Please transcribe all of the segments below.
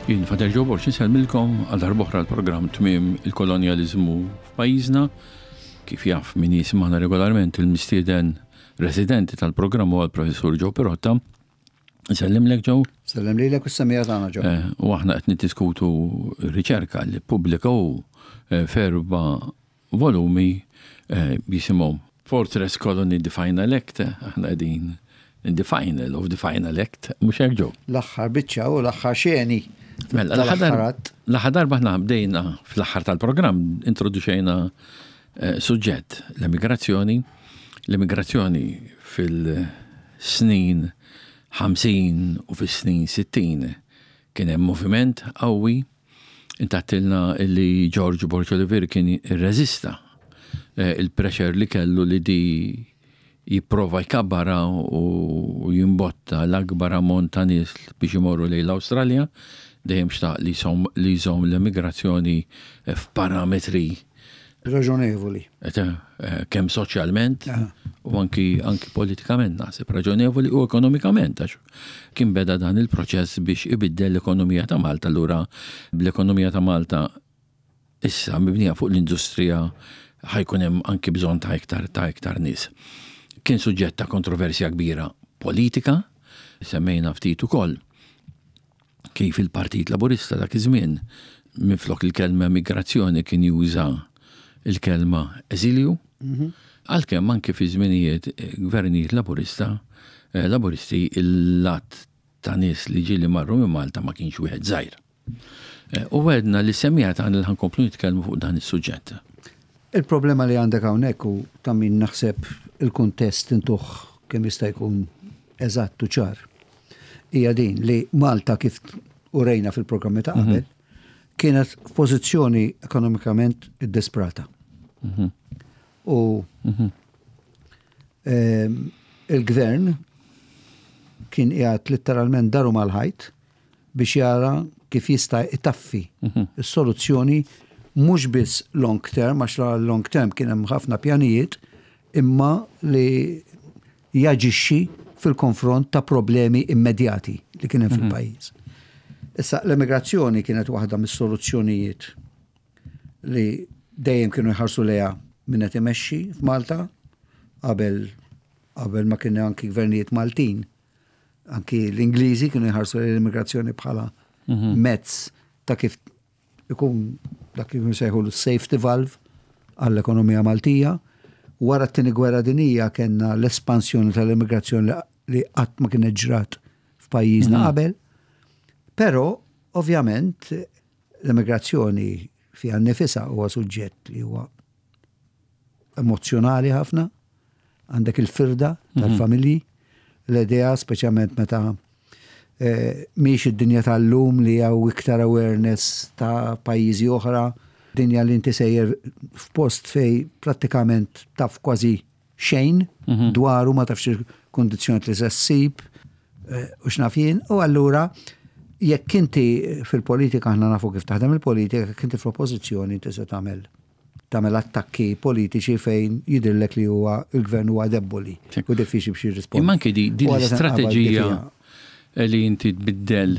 Jien Fader Joe Borg insellmilkom għal darb'oħra l-programm Tmiem il-Kolonjaliżmu f'pajjiżna. Kif jaf min jismagħna regolarment il-mistieden residenti tal-programm huwa l-Professur Joe Pirotta. Nsellimlek Joe. Sellem lilek u s-semija tagħna Joe. Eh, u aħna qed niddiskutu riċerka li ppubblika hu eh, f'erba' volumi eh, jisimhom Fortress Colony The Final Act, aħna qegħdin in the final of the final act, mhux hekk Joe. L-aħħar biċċa u l-aħħar xeni. Mela, l-aħħar darba aħna bdejna fl-aħħar tal-programm introduċejna suġġett, l-emigrazzjoni, l-emigrazzjoni fil-snin 50 u fis-snin 60 kien hemm moviment qawwi. Intattilna li George Borg Olivier kien irreżista eh, il-pressure li kellu li di jipprova jkabbarha u jimbotta l-akbar ammont ta' nies biex imorru lejn l-Awstralja, dejjem xtaq li li jżomm l-emigrazzjoni f'parametri raġonevoli. Eh, kemm soċjalment u anki anki politikament naħseb raġonevoli u ekonomikament għax kien beda dan il-proċess biex ibiddel l-ekonomija ta' Malta allura bl-ekonomija ta' Malta issa mibnija fuq l-industrija ħa jkun hemm anki bżonn ta' iktar ta' iktar nies. Kien suġġett ta' kontroversja kbira politika, semmejna ftit ukoll kif il-Partit Laburista dak iż-żmien minflok il-kelma migrazzjoni kien juża il-kelma eżilju, mhm. għalkemm anki fi żminijiet eh, gvernijiet Laburista, eh, Laburisti il-lat ta' nies li ġieli marru minn Malta ma kienx wieħed żgħir. Eh, u għedna li semija tagħna li ħankomplu nitkellmu fuq dan is-suġġett. Il-problema li għandek hawnhekk u ta' min naħseb il-kuntest intuh kemm jista' jkun eżatt u ċar. Hija din li Malta kif urejna fil-programmi ta' qabel mhm. kienet f'pożizzjoni ekonomikament iddesprata. Mhm. U mhm. ehm, il-gvern kien qiegħed litteralment daru mal-ħajt biex jara kif jista' itaffi s-soluzzjoni mhux biss long term, għax long term kien hemm ħafna pjanijiet, imma li jaġixxi fil-konfront ta' problemi immedjati li kien hemm mhm. fil-pajjiż. Issa l-emigrazzjoni kienet waħda mis-soluzzjonijiet li dejjem kienu jħarsu lejha min qed imexxi f'Malta qabel qabel ma kien anki gvernijiet Maltin Anki l-Ingliżi kienu jħarsu l-immigrazzjoni bħala mhm. mezz ta' kif ikun dak li sejħu l-safety valve għall-ekonomija Maltija. Wara t-tieni gwerra dinija kellna l-espansjoni tal-immigrazzjoni li qatt ma kienet ġrat f'pajjiżna mhm. qabel. Però, ovvjament, l-immigrazzjoni fiha nnifisha huwa suġġett li huwa emozzjonali ħafna, għandek il-firda mhm. tal-familji, l-idea speċjalment meta eh, miex id-dinja tal-lum li hawn iktar awareness ta' pajjiżi oħra, dinja li inti sejjer f'post fej prattikament taf kważi xejn mhm. dwaru ma tafx il-kondizzjoni li se ssib eh, u x'naf jien, u allura jekk inti fil-politika aħna nafu kif taħdem il-politika, jekk inti fl-oppożizzjoni inti se tagħmel tagħmel attakki politiċi fejn jidhirlek li huwa il-gvern huwa debboli u diffiċli biex jirrispondi. Imma anke di din l-istrateġija li inti tbiddel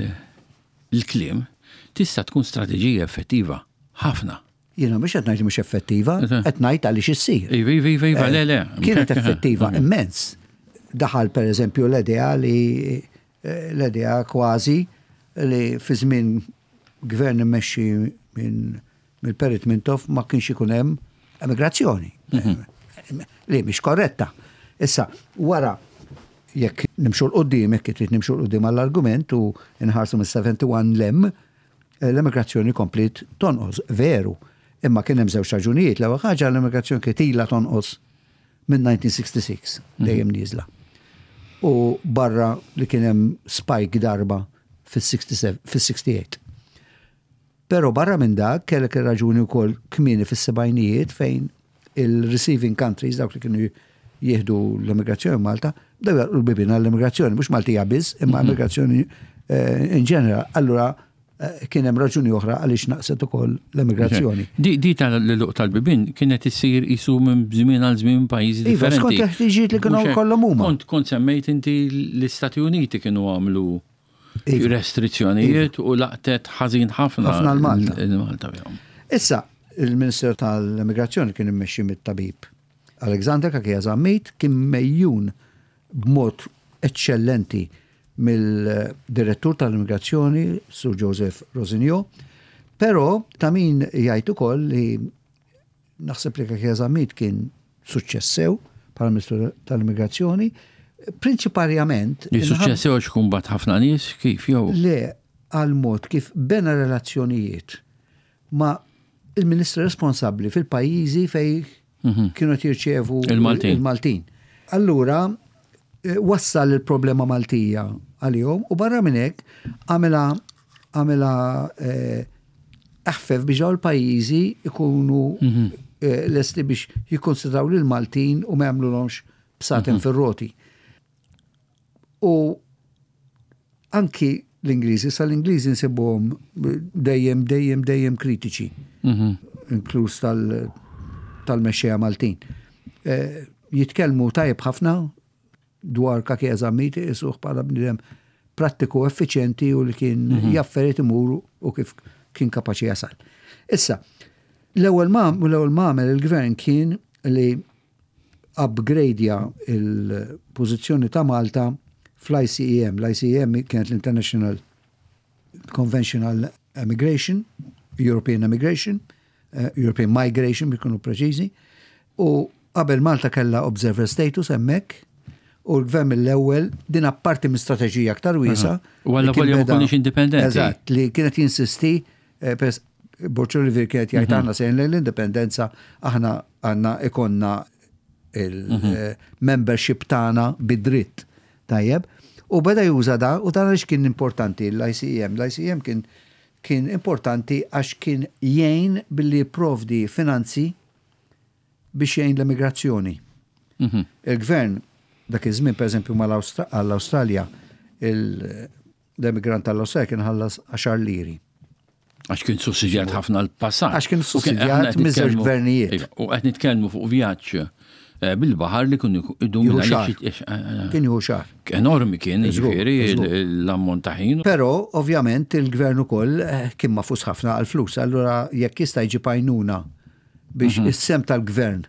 il-kliem tista' tkun strateġija effettiva ħafna. Jiena mhux qed ngħid li mhux effettiva, qed ngħid għaliex issir. Iva, iva, iva, iva, le, le. Kienet effettiva immens. Daħal pereżempju l-idea li eh, l-idea kważi li fi żmien gvern immexxi minn mill-Perit Mintoff ma kienx ikun hemm emigrazzjoni. Mhm. Li mhix korretta. Issa, wara jekk nimxu l-qoddim, jekk trid nimxu l-qoddim għall-argument u nħarsu mis-71 lem, eh, l-emigrazzjoni komplit tonqos, veru. Imma kien hemm żewġ raġunijiet. L-ewwel ħaġa l-emigrazzjoni kienet ilha tonqos minn 1966, mhm. dejjem nieżla. U barra li kien hemm spike darba fis-68. Però barra minn dak kellek ir-raġuni wkoll kmieni fis-sebgħinijiet fejn il-receiving countries, dawk li kienu jieħdu l-immigrazzjoni Malta, bdew jagħlqu l-bibien għall-immigrazzjoni, mhux Maltija biss, imma mhm. immigrazzjoni eh, in ġeneral. Allura eh, kien hemm raġuni oħra għaliex naqset ukoll l-immigrazzjoni. Di, di tal-luq tal-bibien kienet issir isu minn żmien għal żmien pajjiżi iva, differenti. Skont il-ħtiġijiet li kienu kollhom huma. Kont kont semmejt inti l-Istati Uniti kienu għamlu. Iva. Restrizzjonijiet u laqtet ħażin ħafna. Ħafna l-Malta. Il-Malta bihom. Issa, il-Ministru tal-Immigrazzjoni kien immexxi mit-tabib Alexander Cachia Zammit, kien mejjun b'mod eċċellenti mill-Direttur tal-Immigrazzjoni, Sur Joseph Rosinio, però ta' min jgħid ukoll li naħseb li Cachia Zammit kien suċċess sew bħala Ministru tal-Immigrazzjoni, prinċiparjament. Li suċċess sew għax ikun bat ħafna nies kif jew? Le, għal mod kif bena relazzjonijiet ma' il-ministri responsabbli fil-pajjiżi fej mhm. kienu qed jirċevu il-Maltin. Allura eh, wassal il-problema Maltija għalihom u barra minn hekk għamela għamela eh, eħfef biex dawn il-pajjiżi ikunu mhm. eh, lesti biex jikkonsidraw lil Maltin u ma jagħmlulhomx bsaten mhm. fir-roti. U anki l-Ingliżi, sa l-Ingliżi nsibuhom dejjem, dejjem, dejjem kritiċi, mhm. inkluż tal-mexxejja Maltin. Eh, jitkellmu tajjeb ħafna dwar Cachia Zammit isuh bħala bniedem prattiku effiċjenti u li kien mhm. jafferiet imur u kif kien kapaċi jasal. Issa, l-ewwel ma l-ewwel ma għamel il-gvern kien li upgradeja il-pożizzjoni ta' Malta fl-ICEM. L-ICEM kienet l-International Conventional Emigration, European Emigration, eh, European Migration biex kunu preċiżi, u qabel Malta kellha observer status hemmhekk, u l-gvern mill-ewwel din apparti minn strateġija aktar wiesa. U għalla volja ma konniex indipendenti. Eżatt, li kienet jinsisti eh, pers Borg Olivier kienet jgħid mhm. aħna sejn lejn l-indipendenza, aħna għandna ikonna il-membership mhm. tagħna bid-dritt. Tajjeb. U beda juża da, u dan għaliex kien importanti l-ICEM. L-ICEM kien kien importanti għax kien jgħin billi jipprovdi finanzi biex jgħin l-emigrazzjoni. Mhm. Il-gvern dak iż-żmien pereżempju mal-Awstralja l-emigrant tal-Awstralja kien ħallas 10 liri. Għax kien sussidjat ħafna l-passat. Għax kien sussidjat miż-żewġ gvernijiet. Iva, u qed nitkellmu fuq vjaġġ eh, bil-baħar li kun idum eh, eh, Kien jieħu xahar. Enormi kien, jiġifieri l-ammont ta' ħin. Però ovvjament il-gvern ukoll kien mafus ħafna għall-flus, allura jekk jista' jġib għajnuna biex mhm. is-sem tal-gvern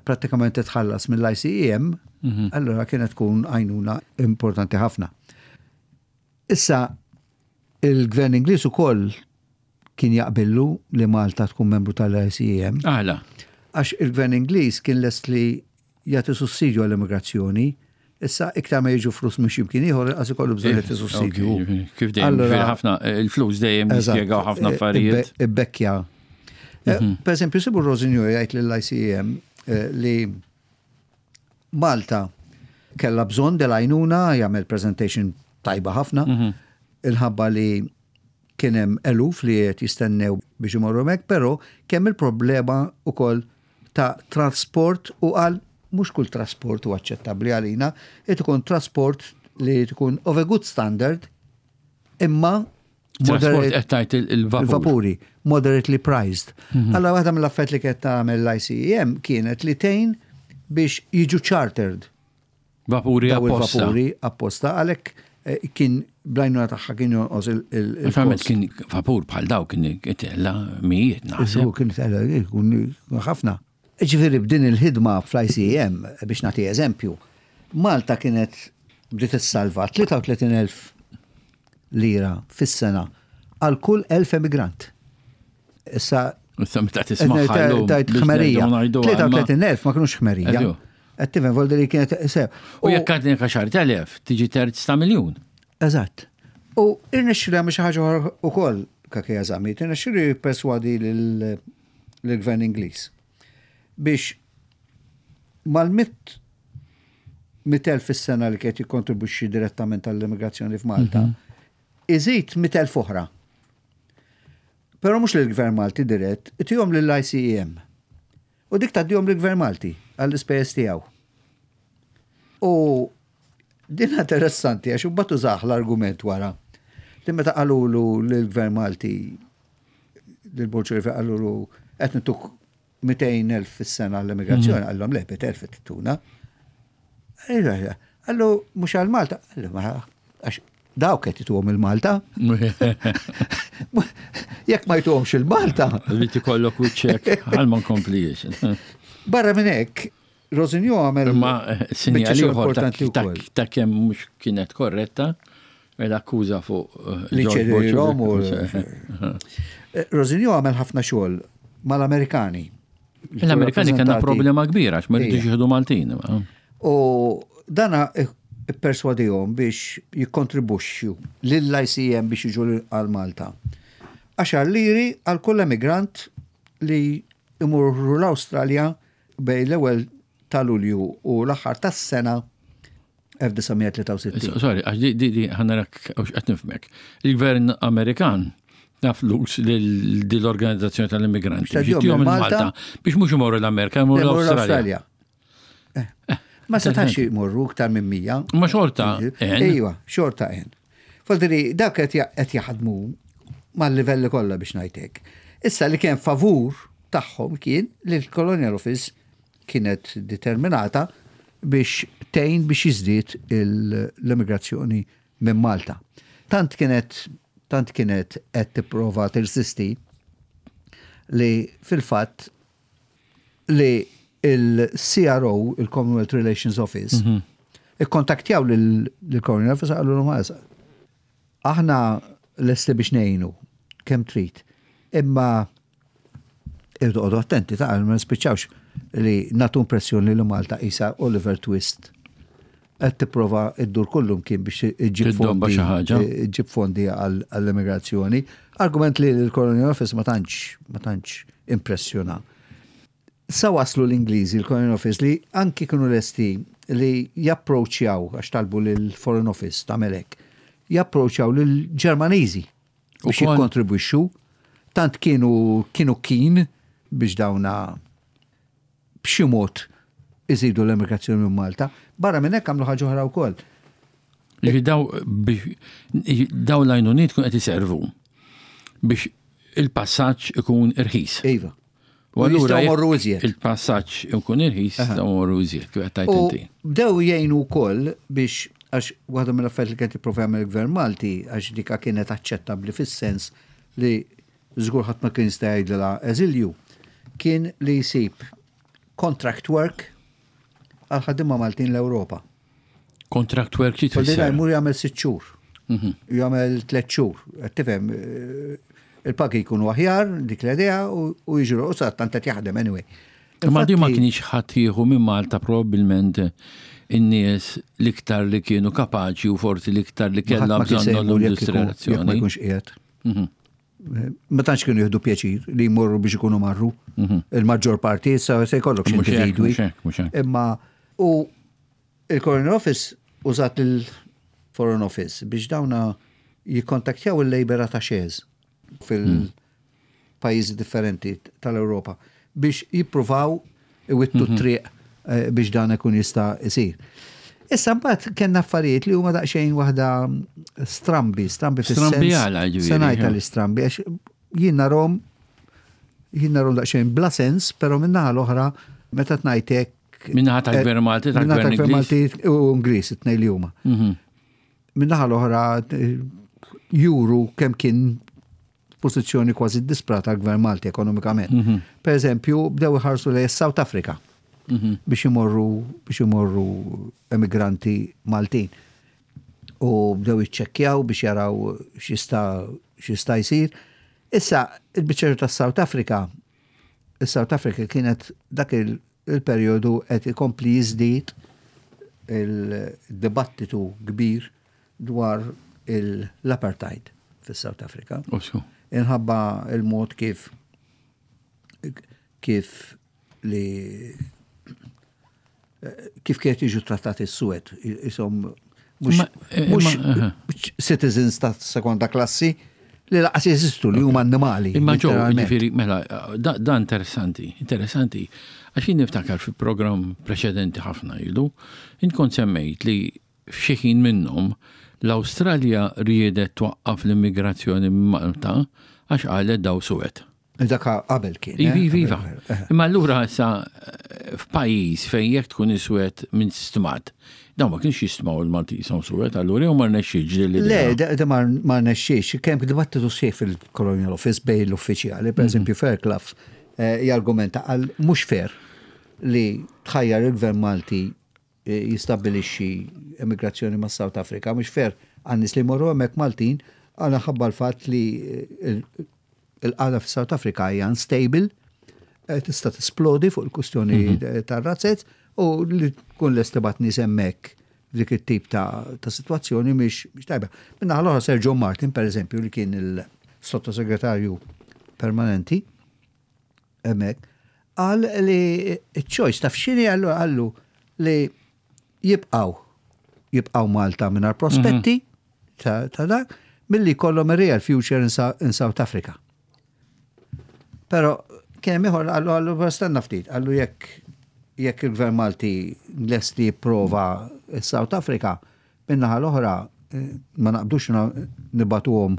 prattikament titħallas mill-ICEM, mhm. allura kienet tkun għajnuna importanti ħafna. Issa, il-gvern Ingliż ukoll kien jaqbillu li Malta tkun membru tal-ICEM. Għala. Għax il-gvern Ingliż kien lest li jagħti sussidju għall-immigrazzjoni, issa iktar ma jiġu flus minn x'imkien ieħor inqas ikollu bżonn jagħti sussidju. Kif dejjem ħafna il-flus dejjem jispjegaw ħafna eh, affarijiet. Ibbekkja. Eh, mhm. Per eżempju, Sibu Rosinju jgħid lill-ICEM eh, li Malta kellha bżonn del-għajnuna, jagħmel presentation tajba ħafna, mhm. il-ħabba li kien hemm eluf li qed jistennew biex imorru hemmhekk, però kemm il-problema wkoll ta' trasport u qal mhux kull trasport huwa aċċettabbli għalina, irid ikun trasport li tkun of a good standard imma Trasport qed tgħid il-vapur. Il-vapuri, moderately priced. Mhm. Alla waħda mill-affett li kienet tagħmel l-ICEM kienet li tgħin biex jiġu chartered. Vapuri apposta. Vapuri apposta għalhekk eh, kien blajnuna tagħha kien jonqos il- Naturalment kien vapur bħal daw kien itella mijiet naħseb. Kien itella ħafna. Ġifieri b'din il-ħidma fl-ICEM biex nagħti eżempju, Malta kienet bdiet issalva 33,000 lira fis-sena għal kull 1000 emigrant. Issa Issa meta tisma' tajt ħmerija. 33,000 ma kinux ħmerija. Qed tifhem voldi li kienet sew. U jekk għadni għaxar telef, tiġi terz ta' miljun. Eżatt. U irnexxilu jagħmel xi ħaġa ukoll Kakeja Zammit, irnexxilu jipperswadi lill-gvern Ingliż biex mal-mit 100,000 fis-sena li kienet jikkontribwixxi direttament għall-immigrazzjoni f'Malta, mhm. iżid 100,000 oħra. Però mhux lill-Gvern Malti dirett, itihom lill-ICEM. U dik tgħaddihom lill-Gvern Malti għall-ispejjeż tiegħu. U din interessanti għax imbagħad użah l-argument wara li meta qalulu lill-Gvern Malti lil Borg qalulu qed nituk 200,000 fis-sena għall-immigrazzjoni, mhm. qallhom le 100,000 qed tuna. Qallu mhux għal Malta, qallu ma għax Dawk qed jituhom il-Malta. Jekk ma jtuhomx il-Malta. Li tikollok wiċċek għal ma nkomplix. Barra minn hekk, Rosinjo għamel. Ma eh, sinjal ieħor ta' kemm mhux kienet korretta l-akkuża fuq eh, li ċedilhom u eh, Rosinjo għamel ħafna xogħol mal-Amerikani. L-Amerikani kellna problema kbira għax ma rridux jieħdu Maltin. U dana ipperswadihom biex jikkontribwixxu lill-ICM biex jiġu għal Malta. Għaxar liri għal kull emigrant li imurru l-Awstralja bejn l-ewwel ta' Lulju u l-aħħar tas-sena 1963. Sorry, għax di di di ħanarak qed nifhmek. Il-gvern Amerikan ta flus lil din l-organizzazzjoni tal-immigranti biex jtihom il-Malta biex mhux imorru l-Amerika, imorru l-Awstralja. Eh, eh, ma setax imorru iktar minn 100. Ma xorta. Ejwa, xorta en. Faldiri, dak qed jaħdmu mal-livelli kollha biex ngħidlek. Issa li kien favur tagħhom kien li l-Colonial Office kienet determinata biex tgħin biex jiżdied l-immigrazzjoni minn Malta. Tant kienet tant kienet qed tipprova tirsisti li fil-fatt li il-CRO, il-Commonwealth Relations Office, mhm. ikkontaktjaw lill-Colonial Office għallu l Aħna lesti biex ngħinu kemm trid. Imma irdu għodu attenti ta' ma nispiċċawx li natu impressjoni li Malta isa Oliver Twist qed tipprova iddur kullum kien biex iġġib fondi iġġib fondi għall-immigrazzjoni. Argument li l-Colonial Office ma tantx ma tantx impressjona. Sa waslu l-Ingliżi l-Colonial Office li anki kienu lesti li japproċċjaw għax talbu lill-Foreign Office tagħmel hekk, japproċċjaw lill-Ġermaniżi biex jikkontribwixxu. Tant kienu kienu keen biex dawna b'xi mod iżidu l-emigrazzjoni minn Malta. Barra minn hekk għamlu ħaġa oħra wkoll. Daw daw l-għajnuniet kun qed iservu biex il-passaġġ ikun irħis. Iva. U allura jmorru iżjed. Il-passaġġ ikun irħis, jistgħu jmorru iżjed, kif qed tgħid inti. Bdew jgħinu wkoll biex għax waħda mill-affarijiet li kien jipprova jagħmel il-Gvern Malti għax dika kienet aċċettabbli fis-sens li żgur ħadd ma kien jista' jgħidilha eżilju, kien li jsib contract work għal ħaddiema Maltin l-Ewropa. Contract work xi tfisser? Jmur jagħmel sitt xhur. Mhm. Jagħmel tliet xhur. Qed tifhem eh, il-pagi jkunu aħjar dik l-idea u jiġru u sa tant qed jaħdem anyway. Imma di ma kienx ħadd jieħu minn Malta probabbilment in-nies l-iktar li kienu kapaċi u forsi l-iktar li kellha bżonn l-industrializzazzjoni. Ma jkunx qiegħed. Mhm. Ma tantx kienu jieħdu pjaċir li jmorru biex ikunu marru. Mhm. Il-maġġor parti issa se jkollok xi individwi. Imma u il-Foreign Office użat il-Foreign Office biex dawna jikkontaktjaw il-Labour Attachés fil-pajjiżi differenti tal-Ewropa biex jippruvaw iwittu mhm. triq eh, biex dan ikun jista' jsir. Issa mbagħad kellna affarijiet li huma daqsxejn waħda strambi, strambi fis-sens. Strambi għala ġifieri. Se ngħid tal-istrambi għax jien narhom jien narhom daqsxejn bla sens, però min-naħa l-oħra meta tnajt hekk. Min-naħa tal-Gvern eh, Malti, tal-Gvern Malti u Ingliż, it-tnejn li huma. Mhm. Min-naħa l-oħra eh, juru kemm kien pożizzjoni kważi disprata għall-Gvern Malti ekonomikament. Mhm. Per eżempju, bdew iħarsu lejn South Africa mhm. biex imorru biex imorru emigranti Maltin. U bdew jiċċekkjaw biex jaraw x'jista' x'jista' jsir. Issa, il-biċċa tas South Africa, is-South Africa kienet dak il-perjodu qed ikompli jiżdied il-dibattitu kbir dwar l-apartheid fis-South Africa. Inħabba il-mod kif kif li kif kienet jiġu trattati s-suwed, jisom mhux eh, citizens ta' sekonda klassi li laqas jeżistu li huma annimali. Imma ġo, ġifieri, mela, da interessanti, interessanti. Għax jien niftakar fi programm preċedenti ħafna ilu, inkun semmejt li F'xi ħin minnhom, l-Awstralja riedet twaqqaf l-immigrazzjoni minn Malta għax qalet daw suwed. Dak qabel kien. Iva, iva, iva. Imma allura issa f'pajjiż fejn jekk tkun iswed minn stmat. Dawn ma kienx jistmaw il-Malti jisom suwed, allura jew ma rnexxiex li Le, da ma rnexxiex. Kemm dibattitu sħiħ fil-Colonial Office bejn l-uffiċjali, per mhm. eżempju Fairclough eh, jargumenta għal mhux fair li tħajjar il-Gvern Malti eh, jistabbilixxi emigrazzjoni ma' South Africa, mhux fair għan-nies li jmorru hemmhekk Maltin għal ħabba l-fatt li eh, Il-qagħda fis-South Africa hija unstable, eh, tista' tisplodi fuq il-kustjoni mhm. tar-razzett u li tkun lest tibgħat nies hemmhekk f'dik it-tip ta', ta situazzjoni mhix tajba. Minna l-oħra Sir John Martin, per eżempju, li kien il-sottosegretarju permanenti, hemmhekk, qal li ċ-choice taf x'inhi għallu għallu li jibqgħu jibqgħu Malta mingħajr prospetti mhm. ta' dak milli jkollhom a real future in, in South Africa. Pero kien hemm ieħor qallu qallu stenna ftit, qallu jekk jekk il-Gvern Malti lest li jipprova South Africa, min-naħa l-oħra eh, ma naqbdux nibatuhom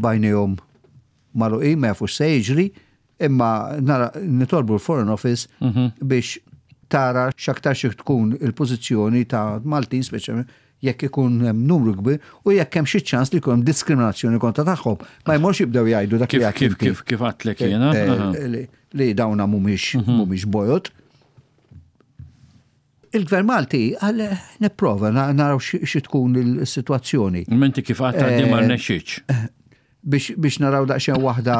bajnejhom magħluqin ma jafux se jiġri, imma nara nitolbu l-Foreign Office mhm. biex tara x'aktar xi tkun il-pożizzjoni ta' Maltin speċjalment jekk ikun hemm numru kbir u jekk hemm xi ċans li jkun hemm diskriminazzjoni kontra tagħhom. Ma jmorx jibdew jgħidu dak li kif kif kif għadtlek jiena. Eh, eh, li dawna mhumiex mhm. mhumiex bojod. Il-Gvern Malti għal nipprova naraw xi tkun il-sitwazzjoni. Menti kif għadta di ma eh, rnexxietx. Biex naraw daqsxejn waħda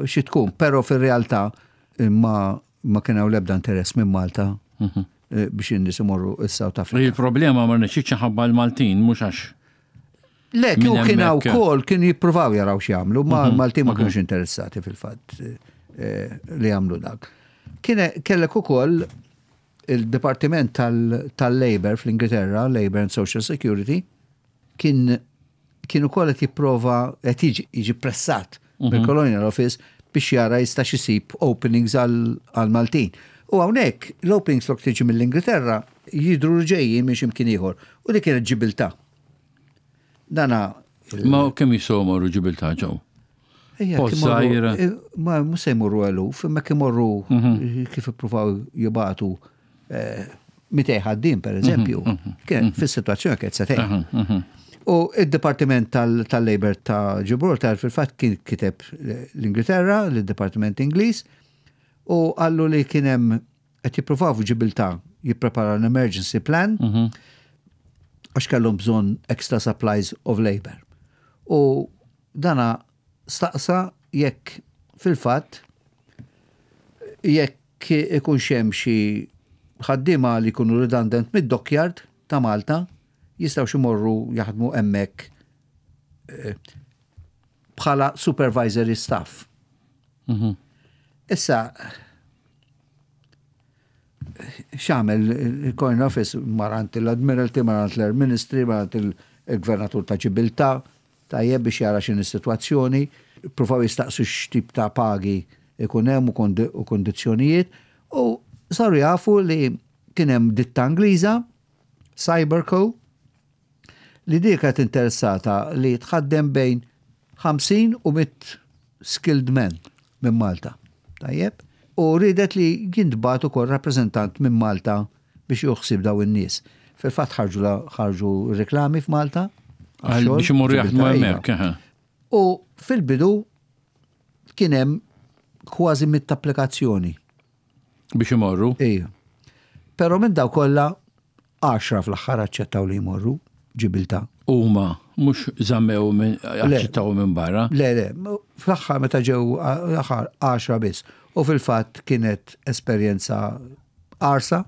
xi tkun, però fir-realtà ma ma kien hawn l-ebda interess minn Malta mhm. eh, biex in-nies imorru s-South Africa. Il-problema ma rnexxietx ħabba l-Maltin mhux għax. Le, kieku kien hawn ukoll kienu jippruvaw jaraw x'jagħmlu, ma mhm. Maltin ma mhm. kienux interessati fil-fatt eh, li jagħmlu dak. Kien kellek ukoll il-Dipartiment tal-Labor fl-Ingilterra, Labor and Social Security, kien kien ukoll qed jipprova qed jiġi pressat mhm. mill-Colonial Office biex jara jista' isib openings għal Maltin. U hawnhekk l-openings flok tiġi mill-Ingilterra jidru ġejjin minn x'imkien ieħor. U dik kienet Ġibiltà. Dana. Ma kemm jistgħu morru Ġibiltà ġew? Pozzajra. Eh, ma mhux se jmorru eluf, imma kif imorru mhm. kif ippruvaw jibatu eh, mitej ħaddiem per eżempju, mhm, mhm, fis-sitwazzjoni kienet se tgħin. U id-Dipartiment tal-Labor ta' Gibraltar fil-fatt kien kiteb l-Ingilterra, l-Dipartiment Ingliż, u qallu li kien hemm qed jippruvaw f'Ġibiltà jippreparaw an emergency plan għax kellhom bżonn extra supplies of labor. U dana staqsa jekk fil-fatt jekk ikunx hemm xi ħaddiema li jkunu redundant mid-dockyard ta' Malta jistgħux imorru jaħdmu hemmhekk eh, bħala supervisory staff. Mhm. Issa, x'għamel il-Coin Office marant l-Admiralty, marant l-Air Ministry, marant il-Gvernatur ta' Ġibiltà, tajjeb biex jara x'inhi s-sitwazzjoni, pruvaw jistaqsu x'tip ta' pagi ikun hemm u kondizzjonijiet u saru jafu li kien hemm ditta Ingliża, Cyberco, li dik kienet interessata li tħaddem bejn 50 u 100 skilled men minn Malta. Tajjeb? U riedet li jintbagħat ukoll rappreżentant minn Malta biex jieħu ħsieb dawn in-nies. Fil-fatt ħarġu ħarġu reklami f'Malta. Biex imorru jaħdmu hemmhekk. U fil-bidu kien hemm kważi mit applikazzjoni. Biex imorru? Ija. Però minn daw kollha għaxra fl-aħħar aċċettaw li jmorru Ġibiltà. Huma mhux żammew minn aċċettaw minn barra. Le, le, fl-aħħar meta ġew l-aħħar għaxra biss. U fil-fatt kienet esperjenza qarsa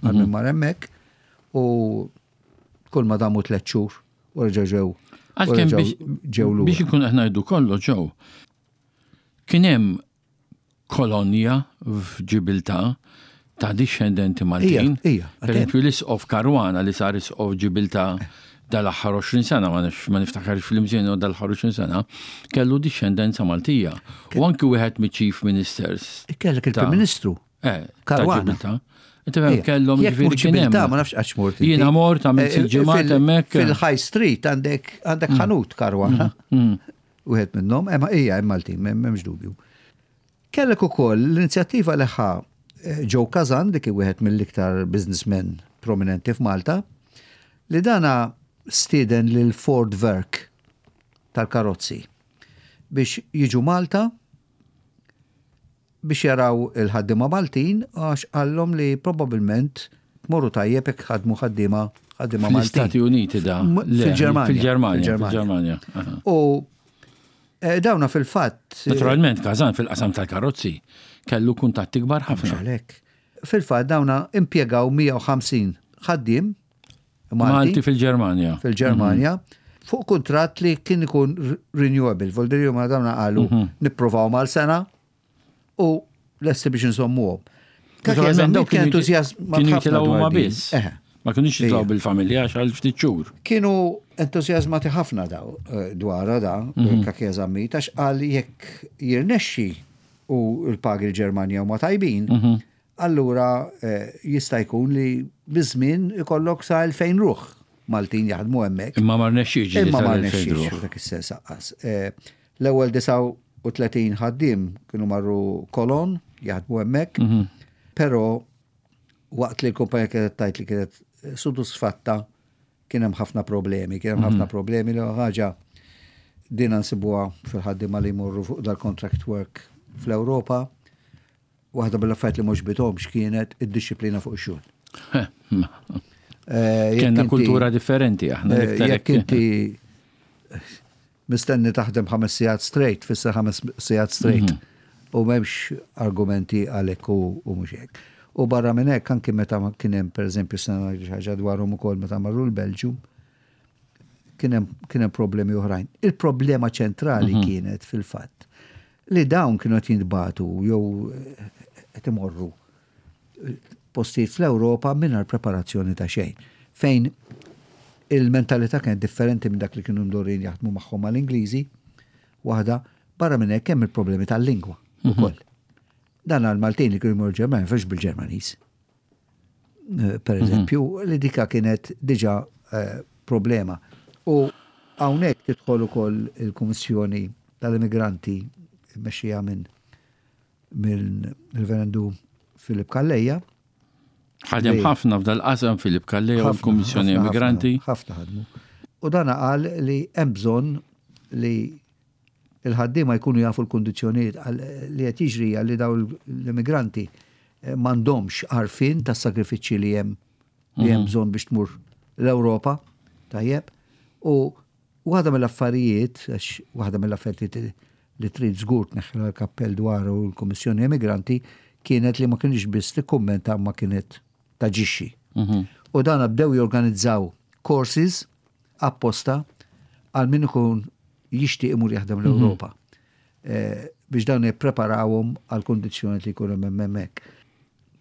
għal min mhm. mar hemmhekk u kull ma damu tliet xhur u reġgħu ġew. Għalkemm ġew lura. Biex ikun qed ngħidu kollox ġew. Kien hemm kolonja f'Ġibiltà ta' dixxendenti Maltin. Ija, Per eżempju, l-Isqof Caruana li sar Isqof Ġibiltà dal-aħħar 20 sena, ma nafx ma niftakarx fl-imżien dal-aħħar 20 sena, kellu dixxendenza Maltija. U anki wieħed miċ-Chief Ministers. Kellek il-Prim Ministru. Eh, Caruana. Inti fem kellhom ġifieri kien hemm. Ma nafx għax mort. Jiena mort għamilt eh, ġimgħat hemmhekk. Fil-High Street għandek għandek mm. ħanut Caruana. Mm. Mm. Wieħed minnhom, imma hija hemm Maltin, m'hemmx dubju. Kellek ukoll l-inizjattiva li ħa Joe Kazan li kien wieħed mill-iktar businessmen prominenti f'Malta, li dana stieden lil Ford Werk tal-karozzi biex jiġu Malta biex jaraw il-ħaddiema Maltin għax qallhom li probabbilment tmorru tajjeb jekk ħadmu ħaddiema ħaddiema Maltin. Fl-Istati Uniti da? Fil-Ġermanja. Fil-Ġermanja. Fil-Ġermanja. U eh, dawna fil-fatt. Eh, Naturalment, Kazan fil-qasam tal-karozzi kellu kuntatti kbar ħafna. Għalhekk. Fil-fatt dawna impjegaw 150 ħaddiem Malti fil-Ġermanja. Fil-Ġermanja. Mhm. Fuq kuntratt li kien ikun renewable, vol ma dawna qalu mhm. nippruvaw mal-sena u lesti biex nżommuhom. Naturalment dawk kienu kienu jitilgħu huma biss. Ma kienux jitilgħu bil-familja għax għal ftit xhur. Kienu entużjażmati ħafna daw eh, dwarha da, mhm. Kakija Zammit, għax qal jekk jirnexxi u l-pagi l-Ġermanja huma tajbin, mhm. allura eh, jista' jkun li biż-żmien ikollok sa 2000 ruħ Maltin jaħdmu hemmhekk. Imma ma rnexxiex. Imma ma rnexxiex dak is-sens aqqas. Eh, L-ewwel 39 ħaddiem kienu marru Cologne jaħdmu hemmhekk, mhm. però waqt li l-kumpanija kienet tajt li kienet sodisfatta kien hemm ħafna problemi, kien hemm ħafna mhm. problemi li ħaġa din nsibuha fil-ħaddiema li jmorru fuq dal-contract work fl-Ewropa. Waħda mill-affarijiet li mhux bithomx kienet id-dixxiplina fuq ix-xogħol. Eh, Kenna kultura differenti aħna. Eh, jekk inti Mistenni taħdem ħames sigħat straight, tfisser ħames sigħat straight. Mhm. U m'hemmx argumenti għalhekk u mhux hekk. U barra minn hekk anki meta kien hemm pereżempju sena ngħidu xi ħaġa dwarhom ukoll meta marru l-Belġju, kien hemm problemi oħrajn. Il-problema ċentrali mhm. kienet fil-fatt li dawn kienu qed jintbagħtu jew eh, qed imorru postijiet fl-Ewropa mingħajr preparazzjoni ta' xejn. Fejn il-mentalità kienet differenti minn dak li kienu mdorrijin jaħdmu magħhom mal-Ingliżi, waħda, barra minn hekk hemm il-problemi tal-lingwa mhm. ukoll. Dan għal-Maltin li kienu jmorru Ġermanja fiex bil-Ġermaniż. Eh, per mhm. eżempju, li dika kienet diġà eh, problema. U hawnhekk tidħol ukoll il-Kummissjoni tal-Immigranti mexxija minn mill-Reverendu Filip Calleja. Ħadem ħafna f'dal-qasam Filip Calleja u l-Kummissjoni Immigranti. Ħafna ħadmu. U dan qal li hemm bżonn li il-ħaddiema jkunu jafu l-kundizzjonijiet li qed jiġri li daw l-immigranti eh, m'għandhomx għarfien tas-sagrifiċċji li hemm li hemm mhm. bżonn biex tmur l-Ewropa, tajjeb, u Waħda mill-affarijiet, għax waħda mill-affarijiet li trid żgur tneħħilha l-kappell dwaru l-Kummissjoni Emigranti kienet li ma kienx biss tikkummenta ma kienet taġixxi. Mhm. U dan bdew jorganizzaw courses apposta għal min ikun jixtieq imur jaħdem mhm. l-Ewropa. Eh, biex dawn jippreparawhom għal kundizzjoni li jkunu hemm hemmhekk.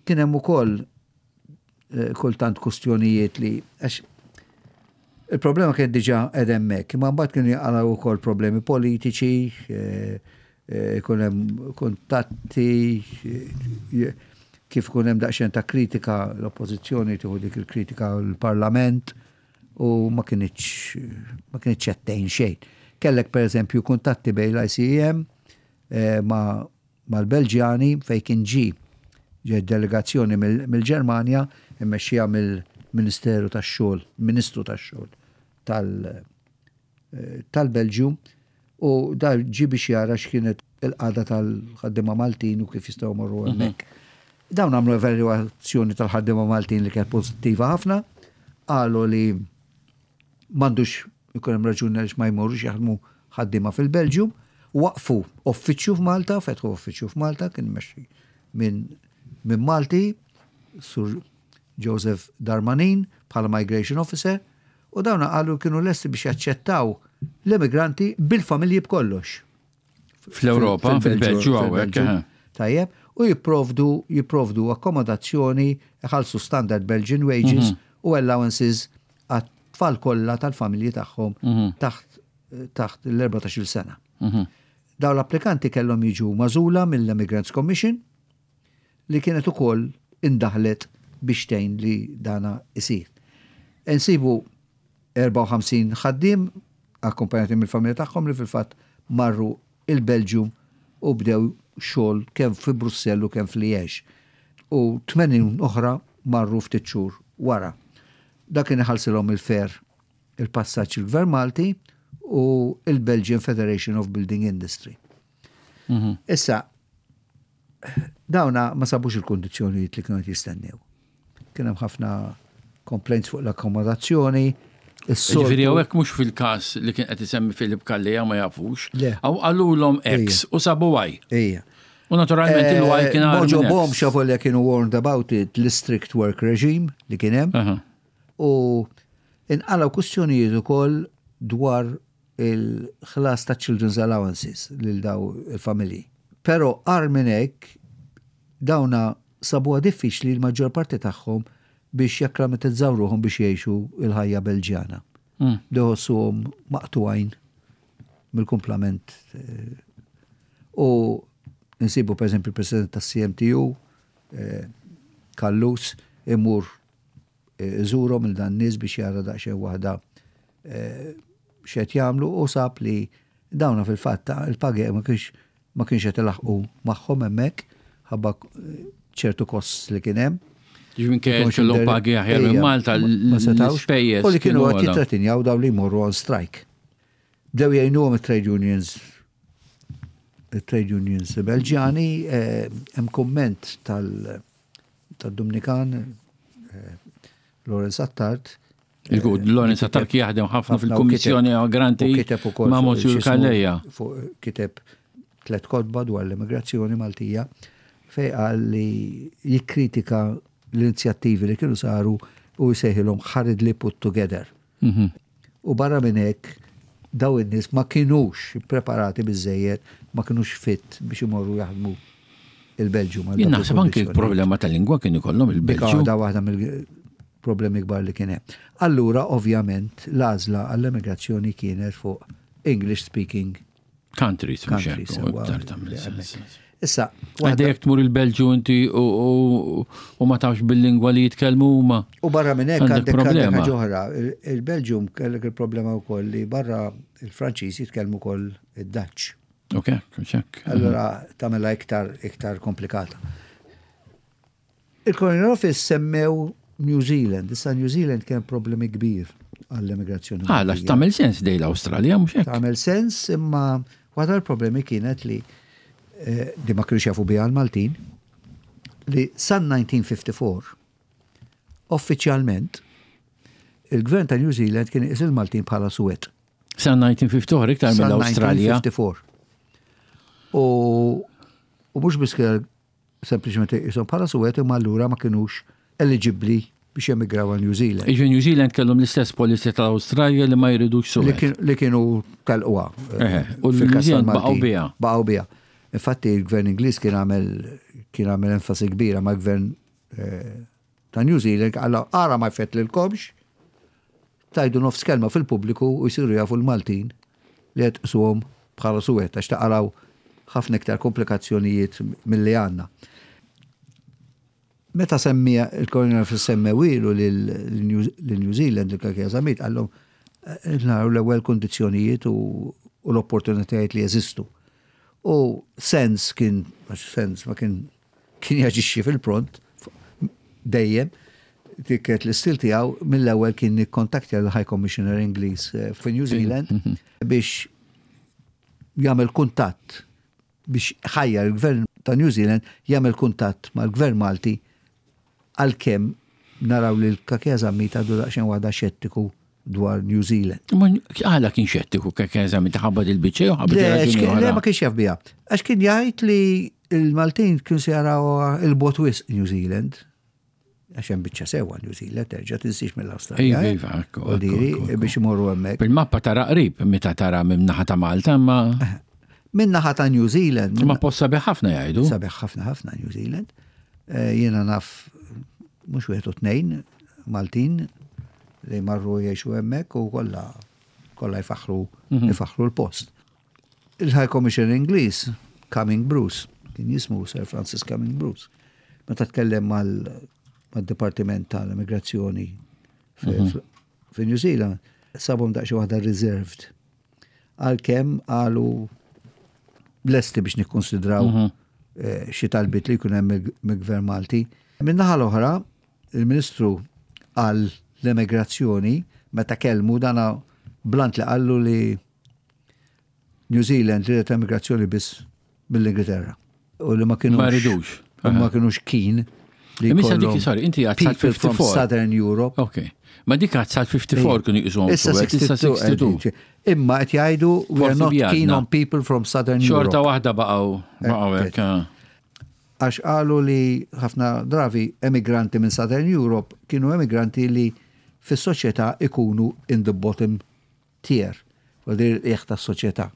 Kien hemm ukoll eh, kultant kustjonijiet li għax il-problema kienet diġà qed hemmhekk, imma mbagħad kienu jaqalgħu wkoll problemi politiċi, eh, eh, ikun hemm kuntatti, kif ikun hemm daqsxejn ta' kritika l-oppożizzjoni tieħu dik il-kritika l-Parlament u ma kienx ma kienx qed tgħin xejn. Kellek pereżempju kuntatti bejn l-ICEM ma' mal-Belġjani fejn kien ġie ġiet delegazzjoni mill-Ġermanja mmexxija mill-Ministeru tax-Xogħol, Ministru tax-Xogħol tal-Belġju u da ġie biex jara x'kienet il-qagħda tal-ħaddiema Maltin u kif jistgħu jmorru hemmhekk. Dawn għamlu evalwazzjoni tal-ħaddiema Maltin li kienet pożittiva ħafna, qalu li M'għandux ikun hemm raġuni għaliex ma jmorrux jaħdmu ħaddiema fil-Belġju. Waqfu uffiċċju f'Malta, fetħu uffiċċju f'Malta, kien mexxi minn min Malti, Sur Joseph Darmanin, bħala Migration Officer, u dawn qalu kienu lesti biex jaċċettaw l-immigranti bil-familji b'kollox. Fl-Ewropa, fil-Belġju hawnhekk. Tajjeb, u jipprovdu jipprovdu akkomodazzjoni, iħallsu standard Belgian wages mhm. u allowances għat-tfal kollha tal-familji tagħhom mhm. taħt taħt l-14 sena. Mhm. Daw l-applikanti kellhom jiġu magħżula mill-Immigrants Commission li kienet ukoll indaħlet biex tgħin li dana isir. Insibu 54 ħaddiem akkumpanjati mill-familja tagħhom li fil-fatt marru il-Belġju u bdew xogħol kemm fi Brussell u kemm f'Liège. U 80 oħra marru ftit xhur wara. Dak kien iħallsilhom il-fare il-passaġġ il-Gvern Malti u il-Belgian Federation of Building Industry. Issa, dawna ma sabux il-kondizzjonijiet li kienu qed jistennew. Kien hemm ħafna complaints fuq l-akkomodazzjoni. Ġifieri hawnhekk mhux fil-każ li kien qed isemmi Filip Calleja ma jafux. Aw qalulhom X u sabu Y. Ejja. U naturalment il-Y kien għal. Moġobhom xavolja kienu warned about it l-strict work regime li kien hemm. U inqalgħu kwistjonijiet ukoll dwar il-ħlas ta' children's allowances lil daw il-familji. Però agħar minn hekk dawna sabuha diffiċli l-maġġor parti tagħhom biex jakklamatizzaw ruħhom biex jgħixu l-ħajja Belġjana. Bdew iħossuhom maqtugħin mill-kumplament. U nsibu pereżempju l-President tas-CMTU, Callus, imur iżurhom lil dan nies biex jara daqsxejn waħda x'qed jagħmlu u sab li dawna fil-fatt il-pagi ma kienx ma kienx qed ilaħqu magħhom hemmhekk ħabba ċertu kosts li kien hemm. Ġifieri kien kellhom pagi aħjar minn Malta ma setgħux. U li kienu qed jittratinjaw dawn li jmorru on strike. Bdew jgħinuhom it-trade unions it-trade unions Belġjani, hemm kumment tal- tad-Dumnikan Lawrence Attard. Il-good, Lawrence Attard kien jaħdem ħafna fil-Kummissjoni Granti ma' Monsignor Calleja. Kiteb tlet kotba dwar l-immigrazzjoni Maltija fej qal li jikkritika l-inizjattivi li kienu saru u jsejħilhom hurriedly put together. U barra minn hekk, daw in-nies ma kinux ippreparati biżżejjed, ma kinux fit biex imorru jaħdmu il-Belġju. Jien naħseb anki problema ta' lingwa kien ikollhom il-Belġju. Da waħda mill-problemi kbar li kien hemm. Allura, ovvjament, l-għażla għall-emigrazzjoni kienet fuq English speaking Countries, countries. Issa, għadda jek tmur il-Belġu inti u ma tafx bil-lingwa li jitkellmu huma. U barra minn hekk għandek problema oħra. Il-Belġium kellek il-problema wkoll li barra il-Franċiż jitkellmu wkoll id-Dutch. Ok, ċek. Allura tagħmilha iktar iktar komplikata. Il-Colonial Office semmew New Zealand. Issa New Zealand kien problemi kbir għall-immigrazzjoni. Ah, għax tagħmel sens dej l-Awstralja mhux hekk. Tagħmel sens imma waħda l-problemi kienet li eh, di ma kienux jafu biha l-Maltin li san 1954 uffiċjalment il-gvern ta' New Zealand kien iqis il-Maltin bħala suwed. San 1954 iktar mill-Awstralja. 1954. U u mhux biss sempliċement iqishom bħala suwed imma allura ma kinux eliġibbli biex jemigraw għal New Zealand. Iġi New Zealand kellhom l-istess policy tal-Awstralja li ma jridux suwed. Li kienu telquha. U l-New Zealand baqgħu biha. Baqgħu biha. Infatti il-gvern Ingliż kien għamel kien għamel enfasi kbira ma' gvern eh, ta' New Zealand għalla ara ma jfettlilkomx tgħidu nofs kelma fil-pubbliku u jsiru jafu l-Maltin li qed tqisuhom bħala suwed għax taqalgħu ħafna iktar komplikazzjonijiet milli għandna. Meta semmija il-Colonial Office semmewilu lil New Zealand il-Kakija Zammit qallhom eh, naraw l-ewwel kundizzjonijiet u l-opportunitajiet li jeżistu. U sens kien, għax sens ma kien kien jaġixxi fil-pront dejjem, dik kienet l-istil tiegħu, mill-ewwel kien ikkontaktja l-High Commissioner Ingliż eh, fi New Zealand mhm. biex jagħmel kuntatt biex ħajjar il-gvern ta' New Zealand jagħmel kuntatt mal-gvern Malti għalkemm naraw li l-Kakea Zammit għadu daqsxejn waħda xettiku dwar New Zealand. Ma għala kien xettiku Kakea Zammit ħabba il-biċċa jew ħabba Le, ma kienx jaf biha. Għax kien jgħid li il-Maltin kienu se jaraw il-bot wisq New Zealand. Għax hemm biċċa sewwa New Zealand terġa' tinsiex mill-Awstralja. Iva, iva, ekku, ekku, biex imorru hemmhekk. Bil-mappa tara qrib meta tara minn naħa ta' Malta, imma Minn naħa ta' New Zealand. Ma post sabiħ ħafna jgħidu. Sabiħ ħafna ħafna New Zealand. Eh, jiena naf mhux wieħed u tnejn Maltin li marru jgħixu hemmhekk u kollha kollha jfaħħru mhm. jfaħħru l-post. Il-High Commissioner Ingliż, Cumming Bruce, kien jismu Sir Francis Cumming Bruce, meta tkellem mal-Dipartiment tal-Immigrazzjoni mhm. fi New Zealand, sabhom daqsxejn waħda reserved. Għalkemm qalu lesti biex nikkonsidraw mhm. eh, xi talbiet li jkun hemm mill-Gvern Malti. Min-naħa l-oħra, il-Ministru għal l-emigrazzjoni meta kellmu dana blant li qallu li New Zealand ridet emigrazzjoni biss mill-Ingilterra. U li ma kienux. Ma ridux. U ma kienux keen li Imma dik, sorry, inti għad sal 54. Southern Europe. Ok. Ma dik għad sal 54 kienu jqisuhom. Issa 62. Imma qed jgħidu we are not keen on people from Southern Europe. Xorta waħda baqgħu baqgħu hekk. Eh. Għax qalu li ħafna dravi emigranti minn Southern Europe kienu emigranti li fis-soċjetà ikunu in the bottom tier, vuol dire l-qiegħ tas-soċjetà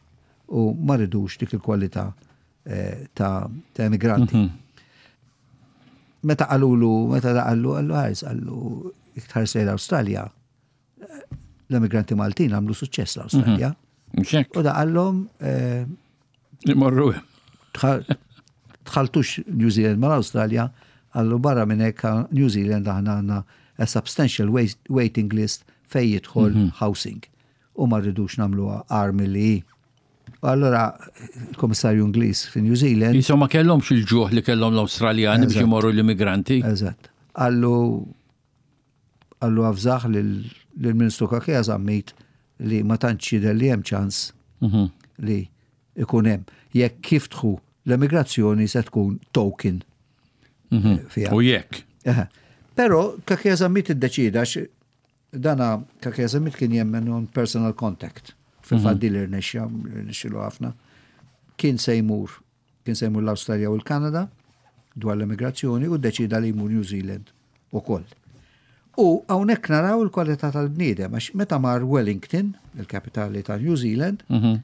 u ma ridux dik il-kwalità eh, ta' emigranti. Mhm. Meta qalulu, meta da qallu, qallu ħares, qallu iktar sejra l-Awstralja, l-emigranti Maltin għamlu suċċess l-Awstralja. Mhm. U da qallhom eh, Imorru. Tħaltux New Zealand mal-Awstralja, għallu barra minn hekk New Zealand aħna għandna a substantial waiting list fej jidħol mhm. housing. U ma rridux nagħmluha armi li hi. U allura il-Komissarju Ingliż fi New Zealand. Insomma kellhomx il-ġuħ li kellhom l-Awstraljani biex imorru l-immigranti. Eżatt. Għallu Qallu avżah lill-Ministru Cachia Zammit li ma tantx jidher li hemm ċans mhm. li ikun hemm. Jekk jiftħu l-emigrazzjoni se tkun token. Mhm. Eh, U jekk. Però Cachia Zammit iddeċida dana Cachia Zammit kien jemmen on personal contact. Fil-fatt mhm. din irnexxa, irnexxilu ħafna. Kien se jmur Kien se jmur l-Awstralja u l-Kanada dwar l-emigrazzjoni u ddeċieda li jmur New Zealand ukoll. U hawnhekk naraw il-kwalità tal-bniedem għax meta mar Wellington, il-kapitali ta' New Zealand, mhm.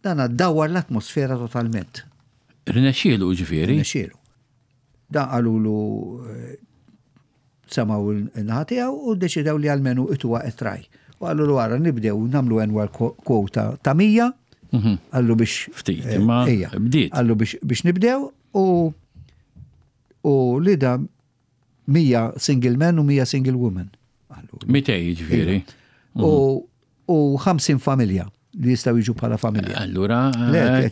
dan dawar l-atmosfera totalment. Rnexxielu ġifieri? Rnexxielu. Dan qalulu eh, Semgħu n-naħa tiegħu u ddeċidew li almenu ituha a try. U qalulu ara nibdew nagħmlu annual quota ta' 100, mhm. qallu biex. Ftit, eh, imma bdiet. Qallu biex nibdew u u li da 100 single men u 100 single women. 200 ġifieri. U mhm. u 50 familja li jistgħu jiġu bħala familja. Allura,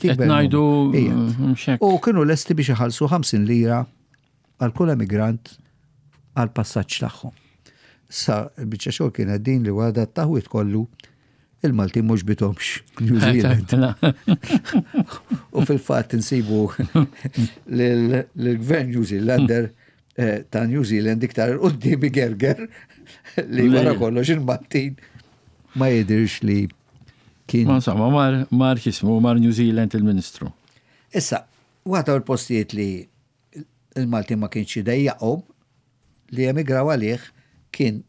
qed ngħidu mm, U kienu lesti biex iħallsu 50 lira għal kull emigrant għall-passaġġ tagħhom. Sa l-biċċa xogħol kienet din li wara dat-taħwid kollu il-Maltin mhux bithomx New Zealand. U fil-fatt insibu lill-gvern New Zealander eh, ta' New Zealand iktar il-qoddim igerger li wara kollox il-Maltin ma jidirx li kien. Ma insomma, mar, mar xismu, mar New Zealand il-Ministru. Issa, waħda l-postijiet li il-Maltin ma kienx idejjaqhom li jemigraw għalih kien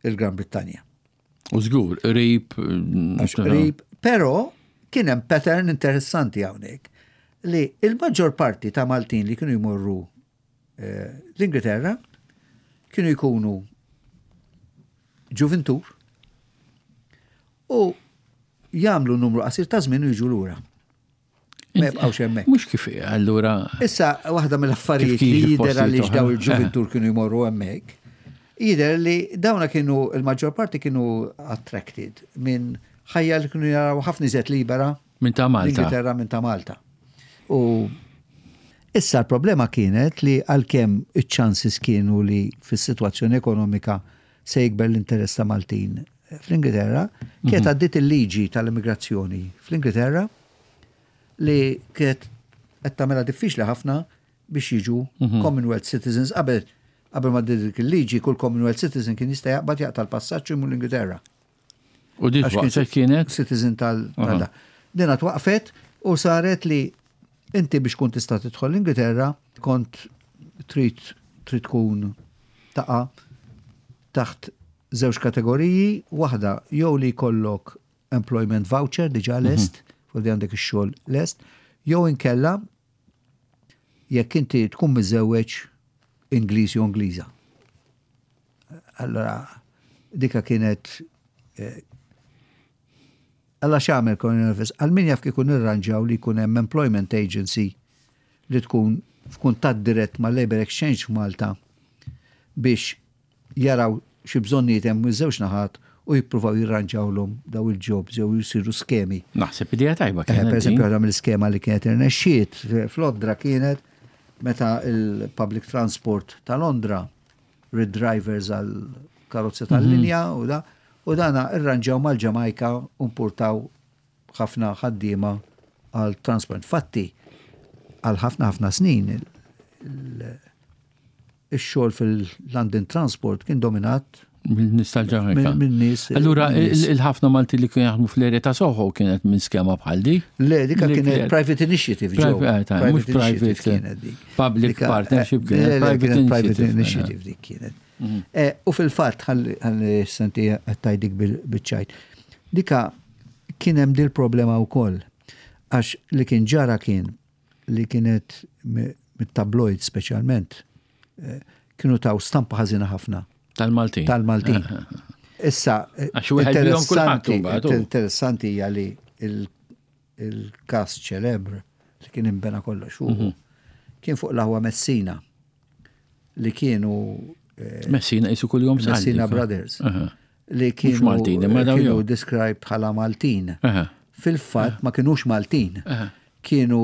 il-Gran Brittanja. U żgur, qrib. Għax qrib, però kien hemm pattern interessanti hawnhekk li il-maġġor parti ta' Maltin li kienu jmorru eh, l-Ingilterra kienu jkunu ġuvintur u jagħmlu numru qasir ta' żmien u jiġu lura. Ma jibqgħux hemmhekk. Mhux kif allura. Issa waħda mill-affarijiet li jidher għaliex daw il-ġuventur kienu jmorru hemmhekk, jidher li dawna kienu il-maġġor parti kienu attracted minn ħajja li kienu jaraw ħafna iżjed libera minn ta' Malta. L-Ingilterra minn ta' Malta. U issa l-problema kienet li għalkemm iċ-ċansis kienu li fis-sitwazzjoni ekonomika se jikber l-interess ta' Maltin fl-Ingilterra, kienet mhm. għaddiet il-liġi tal-immigrazzjoni fl-Ingilterra li kienet qed tagħmilha diffiċli ħafna biex jiġu mhm. Commonwealth citizens qabel qabel ma dik il-liġi kull Commonwealth citizen kien jista' jaqbad jaqta' l-passaġġ imur l-Ingilterra. U dik waqfet kienet? Citizen tal Dina twaqfet u saret li inti biex kun tista' tidħol l-Ingilterra kont trid trid tkun taqa' taħt żewġ kategoriji, waħda jew li jkollok employment voucher diġà mhm. lest, mm -hmm. għandek ix-xogħol lest, jew inkella jekk inti tkun miżewweġ Ingliż jew Ingliża. Allora, dika kienet eh, Alla x'għamel Colin Elvis? Għal min jaf kieku nirranġaw li jkun hemm employment agency li tkun f'kuntatt dirett mal-Labour Exchange f'Malta biex jaraw xi bżonnijiet hemm miż-żewġ naħat u jippruvaw jirranġawlhom daw il-jobs jew jsiru skemi. Naħseb idea tajba kienet. Per eżempju, waħda mill-iskema li kienet irnexxiet f'Londra kienet Meta il-public transport ta' Londra ried drivers għal karozzi tal-linja u da, u dana irranġaw mal-Ġamajka u importaw ħafna ħaddiema għal transport. Fatti, għal ħafna ħafna snin ix-xogħol fil-London Transport kien dominat Min-nies tal-Ġamajka. Min-nies. Allura il-ħafna Malti li kienu jaħdmu fl-area ta' Soho kienet minn skema bħal di? Le, dika kienet private initiative. Eh, mhux private kienet dik. Public eh, partnership kienet. Private initiative dik kienet. Eh, u fil-fatt, ħalli senti għattajdik bil-ċajt. Dika kien hemm dil problema wkoll. Għax li kien ġara kien li kienet mit-tabloid speċjalment eh, kienu taw stampa ħażina ħafna. Tal-Maltin. Tal-Maltin. Eh, eh, Issa, interessanti, interessanti hija li il-kas ċelebr li kien imbena kollox fuq kien fuq l-aħwa Messina li kienu Messina jisu kull-jum Messina Brothers. Li kienu Maltin, imma dawn kienu described bħala Maltin. Fil-fatt ma kienux Maltin. Kienu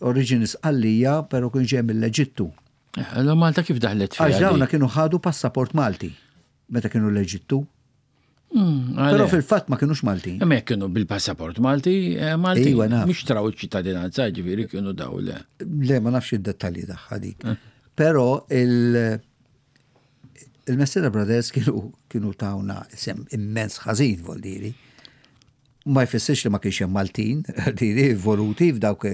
origini Sqallija, pero kienu ġej mill-Eġittu. Allora Malta kif daħlet fiha? Għax dawna kienu ħadu passaport Malti meta kienu l-Eġittu. Pero fil-fatt ma kienux Maltin. Imma jekk kienu bil-passaport Malti, eh, Malti. Iva, naf. Mhux traw iċ-ċittadinanza, ġifieri kienu daw le. Le, ma nafx id-dettalji tagħha dik. Eh. Però il- il-Messina Brothers kienu kienu tawna isem immens ħażin voldiri. Ma jfissirx li ma kienx hemm Maltin, diri voluti f'dawk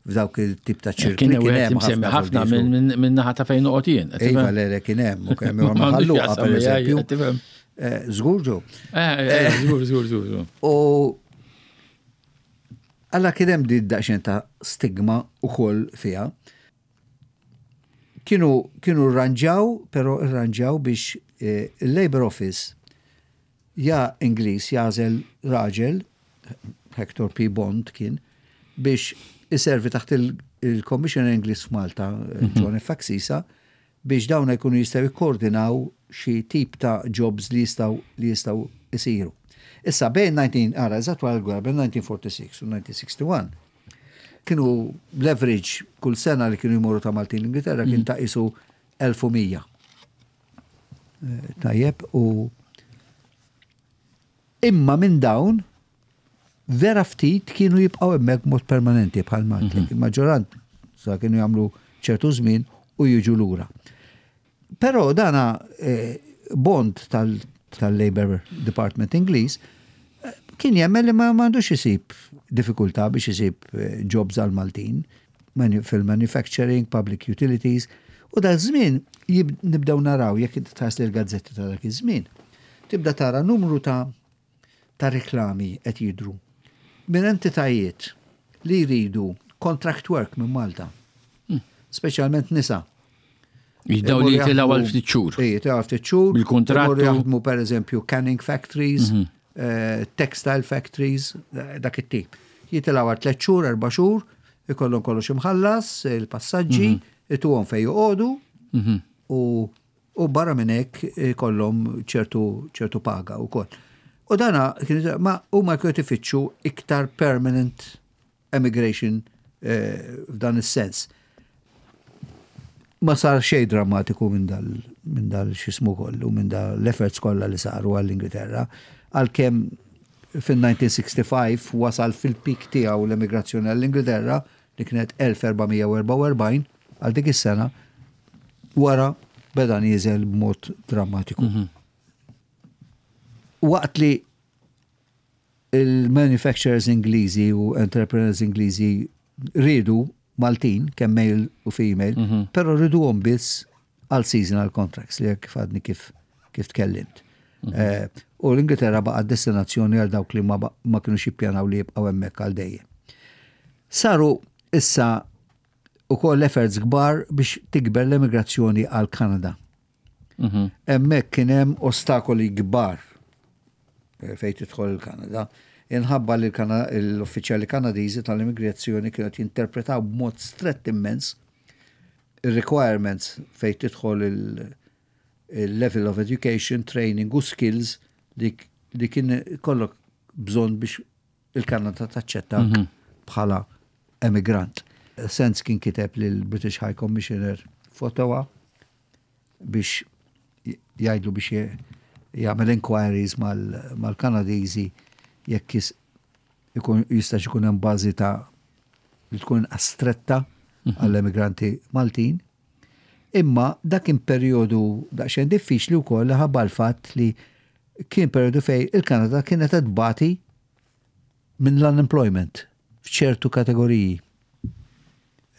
f'dawk il-tip ta' ċirkli. Kien hemm ħafna ħafna minn naħa ta' fejn noqgħod jien. Iva, le, le kien hemm, u kemm hemm ħalluqa pereżempju. Eh, żgur ġo. Eh, eh, żgur, żgur, żgur. U Alla kien hemm din daqsxejn ta' stigma ukoll fiha. Kienu kienu rranġaw, però rranġaw biex il-Labour Office ja Ingliż jagħżel raġel, Hector P. Bond kien, biex iservi taħt il-Commissioner Ingliż f'Malta, John F. Axisa, biex dawn jkunu jistgħu jikkoordinaw xi tip ta' jobs li jistgħu li jistgħu jsiru. Issa bejn 19 ara eżatt wara l-gwerra bejn 1946 u 1961 kienu l-average kull sena li kienu jmorru ta' Maltin l-Ingilterra kien ta' isu 1100. Eh, tajjeb u imma minn dawn vera ftit kienu jibqgħu hemmhekk mod permanenti bħal Malti. Mhm. Il-maġġoranza kienu jagħmlu ċertu żmien u jiġu lura. Però dana eh, Bond tal-Labour Department Ingliż eh, kien jemmen li ma m'għandux isib diffikultà biex isib eh, jobs għal Maltin fil-manufacturing, public utilities, u dak żmien nibdew naraw jekk inti tħares l-gazzetti ta' dak iż-żmien. Tibda tara numru ta' ta' reklami qed jidhru minn entitajiet li jridu contract work minn Malta. Speċjalment nisa. Daw li jitilgħu għal ftit xhur. Ej, jitilgħu għal ftit xhur. Bil-kuntratt. Jaħdmu pereżempju canning factories, mhm. eh, textile factories, eh, dak it-tip. Jitilgħu għal tliet xhur, erba' xhur, ikollhom kollox imħallas, il-passaġġi, mhm. ituhom fejn joqogħdu mhm. u U barra minn hekk ikollhom ċertu ċertu paga wkoll. U dana ma huma kienu ifittxu iktar permanent emigration eh, f'dan is-sens. Ma sar xejn drammatiku minn dal minn dal xismu kollu, minn dal l-efforts kollha li saru għall-Ingilterra, għalkemm fil-1965 wasal fil-pik tiegħu l-emigrazzjoni għall-Ingilterra li kienet 1444 għal dik is-sena, wara beda nieżel b'mod drammatiku. Mhm. Waqt li il-manufacturers Ingliżi u entrepreneurs Ingliżi rridu Maltin, kemm male u female, mm -hmm. pero rriduhom biss għal seasonal contracts li kif għadni kif kif tkellimt. Mm -hmm. eh, u l-Ingilterra baqa' destinazzjoni għal dawk li ma, ma kienu jippjanaw li jibqgħu hemmhekk għal dejjem. Saru issa ukoll efforts kbar biex tikber l-emigrazzjoni għal Kanada. Mhm. Hemmhekk kien hemm ostakoli kbar eh, fejn tidħol il-Kanada. Inħabba li l-uffiċjali Kanadiżi tal-immigrazzjoni kienu qed jinterpretaw b'mod strett immens ir-requirements fejn tidħol il-level of education, training u skills li kien kollok bżonn biex il-Kanada taċċettak mhm. bħala emigrant. Sands kien kiteb lill-British High Commissioner f'Ottawa biex jgħidlu biex jagħmel inquiries mal-Kanadiżi jekk ikun jistax ikun hemm bażi ta' li tkun inqas stretta mhm. għall-emigranti Maltin. Imma dak kien perjodu daqsxejn diffiċli wkoll ħabba l-fatt li kien perjodu fej il-Kanada kienet qed tbati minn l-unemployment f'ċertu kategoriji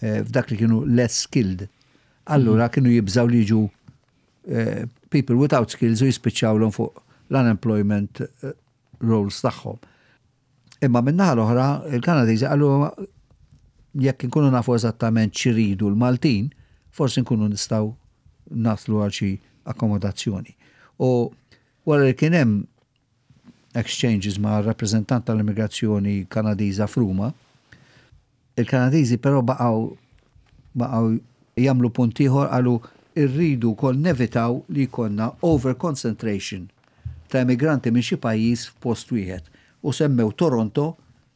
eh, f'dak li kienu less skilled. Allura mhm. kienu jibżaw li jiġu eh, people without skills u jispiċċawlhom fuq l-unemployment eh, rolls tagħhom. Imma min-naħa l-oħra, il-Kanadiżi qalu jekk inkunu nafu eżattament x'iridu l-Maltin, forsi nkunu nistgħu naslu għal xi akkomodazzjoni. U wara li kien hemm exchanges ma' rappreżentant tal-immigrazzjoni Kanadiża f'Ruma, Il-Kanadiżi però baqgħu baqgħu jagħmlu punt ieħor qalu rridu wkoll nevitaw li jkollna over concentration ta' immigranti minn xi pajjiż f'post wieħed u semmew Toronto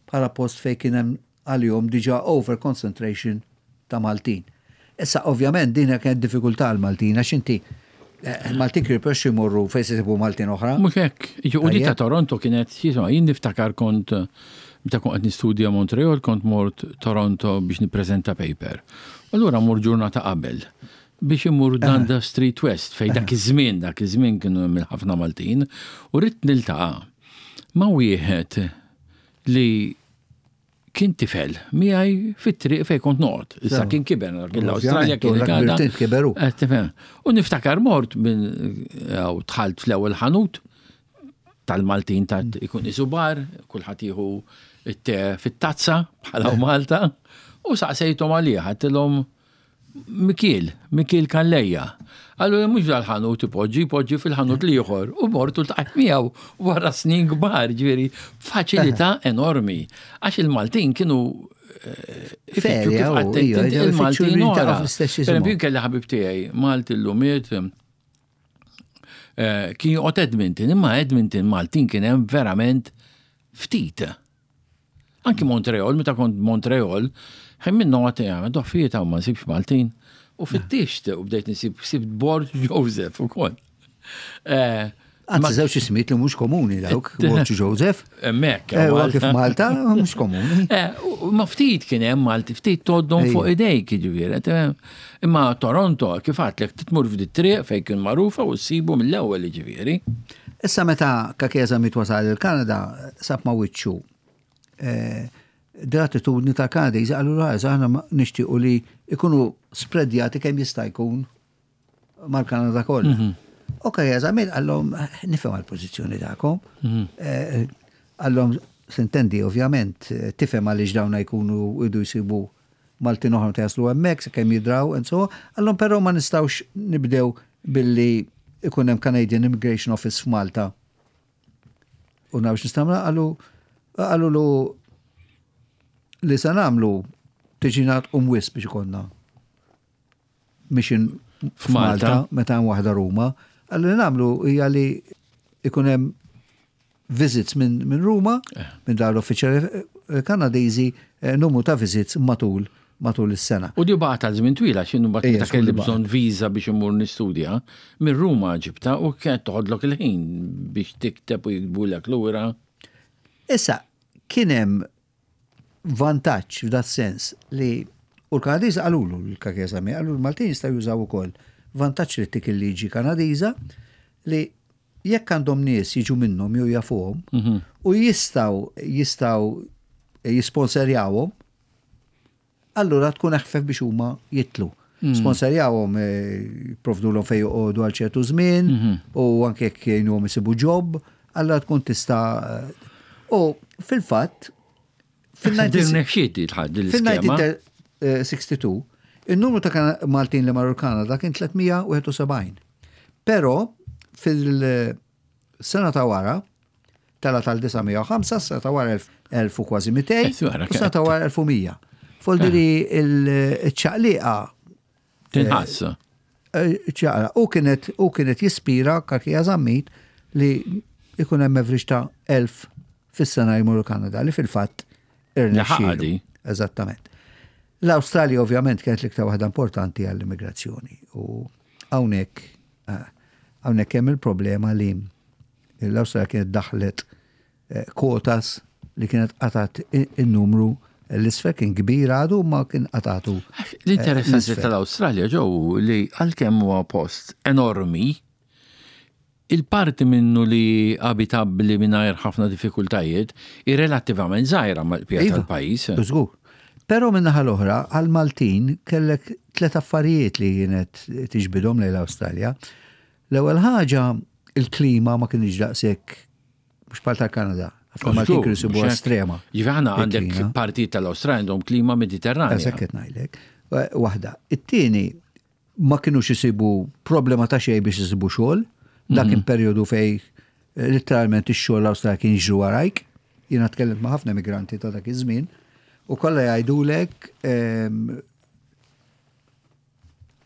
bħala post fejn kien hemm għalihom diġà over concentration ta' Maltin. Issa ovvjament din kienet diffikultà għall-Maltin għax inti eh, Maltin kienu jipprexxu jmorru fejn se jsibu Maltin oħra. Mhux hekk. U di ta' Toronto kienet, jien niftakar kont meta kont qed nistudja Montreal kont mort Toronto biex nippreżenta paper. Allura mur ġurnata qabel biex imur Dundas Street West fejn dak iż-żmien, dak iż-żmien kienu hemm ħafna Maltin u ridt niltaqa' ma' wieħed li kien tifel miegħi fit-triq fejn kont noqgħod. Issa kien kiber, kien l-Awstralja kien il-Kanada. Kiberu. Eh, u niftakar mort minn dħalt fl-ewwel ħanut tal-Maltin ta' ikun isu bar, kulħadd jieħu it-te fit-tazza bħala Malta, u saqsejthom għalih, għedtilhom Mikiel, Mikiel Calleja. Għallu mhux dal-ħanut ipoġġi, ipoġġi fil-ħanut l-ieħor. U mort u ltqajt miegħu wara snin kbar, ġifieri faċilità enormi. Għax il-Maltin kienu eh, ifittxu kif għattejt il-Maltin oħra. Per eżempju, kelli ħabib tiegħi Malti l-lumiet eh, kien joqgħod Edmonton, imma Edmonton Maltin kien hemm verament ftit. Anki Montreal, meta kont Montreal, ħin minnu għat għamil doffijiet għaw ma nsibx Maltin. U fittixt u bdejt nsib sibt Borg Joseph u koll. Eh, Anzi, żewġ ismijiet li mhux komuni dawk, Borg Joseph. Hemmhekk. Eh, kif Malta mhux komuni. Eh, ma ftit kien hemm Malti, ftit toddhom fuq idejk jiġifieri. Imma Toronto, kif għadlek titmur f'di triq fejn kien magħrufa u ssibu mill-ewwel jiġifieri. Issa meta Kakeza miet wasal il-Kanada, sab ma' wiċċu eh, dell-attitudni tal-Kanadiżi qalu l aħna nixtiequ li ikunu spreadjati kemm jista' jkun mal-Kanada kollha. Mhm. U Kakeza miet qallhom nifhem għall-pożizzjoni tagħkom. Mhm. Eh, qallhom sintendi ovvjament tifhem għaliex dawna jkunu idu jsibu Maltin oħra meta jaslu hemmhekk sakemm jidraw and so on. Però ma nistgħux nibdew billi ikun hemm Canadian Immigration Office f'Malta. U nafx nistgħu qalu qalulu li se nagħmlu tiġi tqum wisq biex ikollna mission f'Malta meta hemm waħda Ruma. Qallu li nagħmlu hija li ikun hemm visits minn min Ruma, eh. minn dawn l-uffiċjali eh, Kanadiżi, eh, numru ta' visits matul matul is-sena. U di baqgħet għal żmien twila x'inhu mbagħad meta kelli bżonn viża biex immur nistudja, minn Ruma ġibta u kienet toħodlok il-ħin biex tikteb u jiktbulek lura. Issa, kien hemm vantaġġ f'dat sens li u l-Kanadiżi qalulu l-Kakesami, qalu l-Maltin jistgħu jużaw ukoll vantaġġ li tik il-liġi Kanadiża li jekk għandhom nies jiġu minnhom jew jafuhom mhm. u jistgħu jistgħu jisponserjawhom, allura tkun eħfef biex huma jitlu. Mm. Sponsorjawhom eh, provdulhom fejn joqogħdu għal ċertu żmien mhm. u anke jekk jgħinuhom isibu job, allura tkun tista' eh, U fil-fatt fil-1962 il-numru ta' Maltin li marru l-Kanada kien 371. Però fil-sena ta' wara tela tal-905, sena ta' wara 1000 u kważi 200, sena ta' wara 1100. Foldiri eh. il-ċaqliqa. Tinħass. Eh, ċaqla. U kienet u kienet jispira Kakija Zammit li ikun hemm average ta' 1000 fis-sena jmur Kanada li fil-fatt irnexxielu. Eżattament. L-Awstralja ovvjament kienet l-iktar waħda importanti għall-immigrazzjoni u hawnhekk eh, hawnhekk hemm il-problema li l-Awstralja kienet daħlet eh, kwotas li kienet qatat in-numru l-isfel kien kbir għadu ma kien qatatu. Eh, L-interessanti tal-Awstralja ġew li għalkemm huwa post enormi, Il-parti minnu li abitabbli mingħajr ħafna diffikultajiet hi relattivament żgħira mal-qbija iva, tal-pajjiż. Żgur. Però min-naħa l-oħra, għall-Maltin kellek tlet affarijiet li kienet tiġbidhom lejn l-Awstralja. L-ewwel ħaġa, il-klima ma kienx daqshekk mhux bħal tal-Kanada. Ħafna Maltin kienu jsibuha estrema. Ġifieri aħna għandek parti tal-Awstralja għandhom klima Mediterranja. Eżatt qed ngħidlek. Waħda. It-tieni, ma kinux isibu problema ta' xejn biex isibu xogħol. Dak kien mhm. perjodu fej eh, literalment ix-xogħol l-Awstralja kien jiġru warajk. Jiena tkellimt ma' ħafna migranti ta' dak iż-żmien u kollha jgħidulek ehm,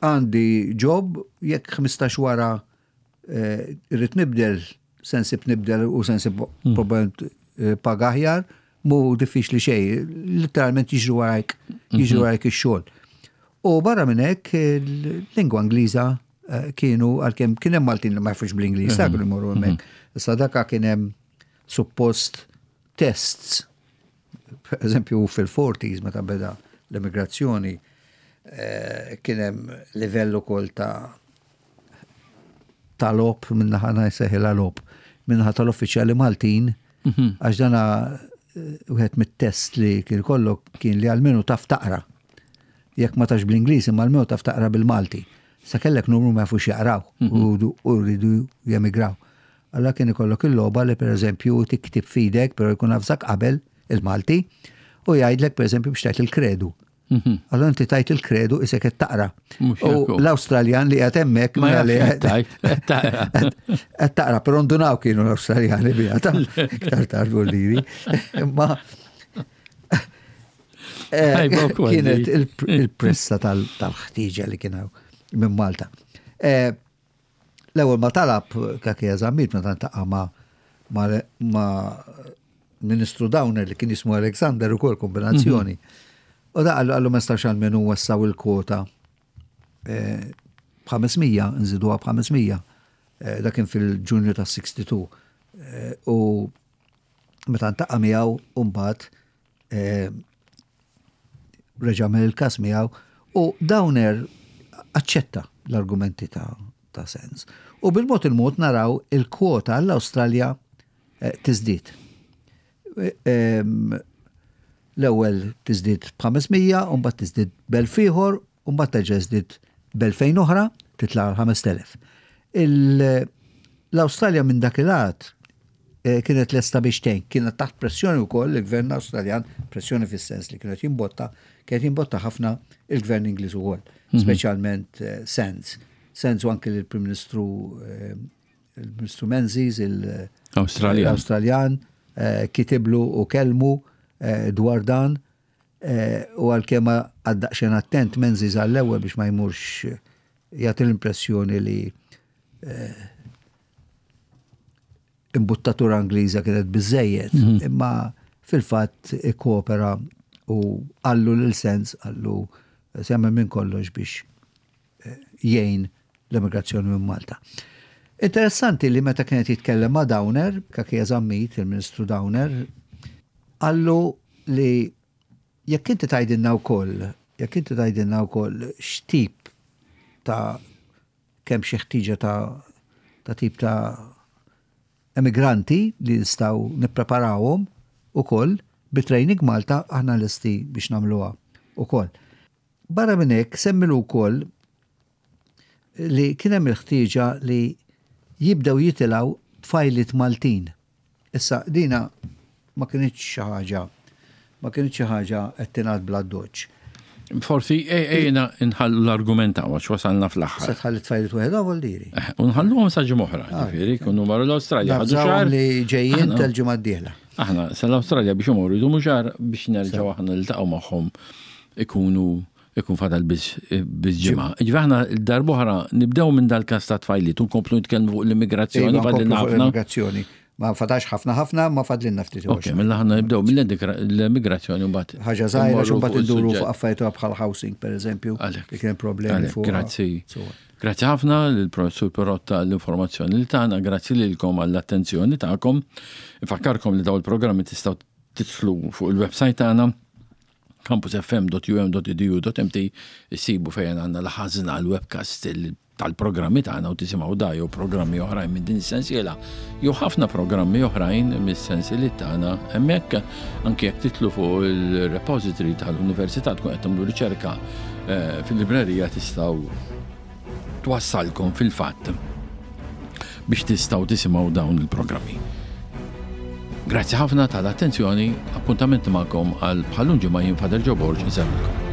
għandi job jekk 15 wara eh, irrid nibdel sensib nibdel u sensib hmm. probablement eh, paga aħjar, mu diffiċli xej, literalment jiġru warajk, jiġru mhm. warajk ix-xogħol. U barra minn hekk il-lingwa Ingliża eh, kienu għalkemm kien hemm Maltin li ma jafux bl-Ingliż, ta' kienu jmorru hemmhekk. Mhm. Issa daka kien hemm suppost tests, per eżempju fil-40s meta beda l-immigrazzjoni, eh, kien hemm livell ukoll ta' ta' logħob min-naħa ngħid logħob min-naħa tal-uffiċjali Maltin mhm. għax dana eh, wieħed mit-test li kien kollok kien li għalmenu taf taqra. Jekk ma tafx bl-Ingliż imma almenu taf taqra bil-Malti. Sa kellek numru ma jafux jaqraw mhm. u rridu jemigraw. Alla kien ikollok il-logħba li pereżempju tiktib fidek, però jkun avżak qabel il-Malti u jgħidlek pereżempju biex tgħid il-kredu. Mhm. Allora inti tajt il-kredu isek qed taqra. U l-Awstraljan li qed hemmhekk ma li qed taqra, però ndunaw kienu l-Awstraljani biha ta' iktar tard vuldiri. Imma eh, kienet il-pressa tal-ħtieġa li kien minn Malta. Eh, L-ewwel ma talab Cachia Zammit meta ntaqa' ma' ma' Ministru Downer li kien jismu Alexander ukoll kombinazzjoni. Mhm. U da qallu qallu ma nistax għalmenu wessaw il-kwota eh, b'500, nżiduha b'500. Eh, da kien fil-Ġunju ta' 62. Eh, u meta ntaqa' miegħu mbagħad reġa' għamel il-każ miegħu u Downer aċċetta l-argumenti ta' ta' sens. U bil-mod il-mod naraw il-kwota għall-Awstralja eh, tiżdied. Eh, l-ewwel tiżdied b'500, u mbagħad tiżdied b'elf ieħor, u mbagħad terġa' tiżdied b'elfejn oħra, titla' għal 5000. L-Awstralja minn dak il-għad eh, kienet lesta biex tgħin, kienet taħt pressjoni wkoll il-gvern Awstraljan, pressjoni fis-sens li kienet jimbotta, kienet jimbotta ħafna il-gvern Ingliż ukoll, mhm. speċjalment eh, Sands. Sands u anke l-Prim Ministru eh, il-Ministru Menzies, il-Awstraljan, kitiblu u kelmu dwar dan u għalkemm għaddaqxen attent Menzies għall-ewwel biex ma jmurx jagħti l-impressjoni li imbuttatura Ingliża kienet biżejjed, mhm. imma fil-fatt ikkopera u għallu lil sens għallu semma minn kollox biex eh, jgħin l-immigrazzjoni minn Malta. Interessanti li meta kienet jitkellem ma' Downer, Kakija Zammit, il-Ministru Downer, għallu li jekk inti tgħidilna wkoll, jekk inti tgħidilna wkoll x'tip ta' kemm xi ħtieġa ta' ta' tip ta' emigranti li nistgħu nippreparawhom ukoll bi Training Malta aħna lesti biex nagħmluha ukoll. Barra minn hekk semmilu wkoll li kien hemm il-ħtieġa li jibdew jitilgħu tfajliet Maltin. Issa dina ma kinitx xi ħaġa ma kinitx xi ħaġa qed tingħad bl-addoċċ. Forsi ejna nħallu l-argument hawn għax wasalna fl-aħħar. Se tħalli tfajliet waħedhom vuol diri. Eh, u nħalluhom sa ġimgħa oħra, ah, ġifieri, kunu marru l-Awstralja. Ħadu xahar li ġejjin tal-ġimgħa d-dieħla. Aħna sal-Awstralja biex imorru jdumu xahar biex nerġgħu aħna niltaqgħu magħhom ikunu ikun fadal biss ġimgħa. Ġifieri aħna darb'oħra nibdew minn dal-każ ta' tfajliet u nkomplu nitkellmu fuq l-immigrazzjoni. Iva, l-immigrazzjoni. Ma fadax ħafna ħafna, ma fadlinna ftit. Ok, mela ħanna nibdew mill-emigrazzjoni mbagħad. Ħaġa żgħira xi mbagħad induru fuq affarijiet bħal housing pereżempju. Li kien problemi fuq. Grazzi. Grazzi ħafna lill-Professur Perotta l-informazzjoni li tagħna, grazzi lilkom għall-attenzjoni tagħkom. Infakkarkom li daw il-programmi tistgħu tidħlu fuq il-website tagħna campusfm.um.edu.mt issibu fejn għandna l-ħażna l-webcast tal-programmi tagħna u tisimgħu da jew programmi oħrajn minn din is-sensiela jew ħafna programmi oħrajn mis-sensiliet tagħna hemmhekk anke jekk titlu fuq il-repository tal-università tkun qed tagħmlu riċerka eh, fil-librerija tistgħu twassalkom fil-fatt biex tistgħu tisimgħu dawn il-programmi. Grazzi ħafna tal-attenzjoni, appuntament magħkom għal bħalun ġimgħa jien Fader Ġo Borg insellmilkom.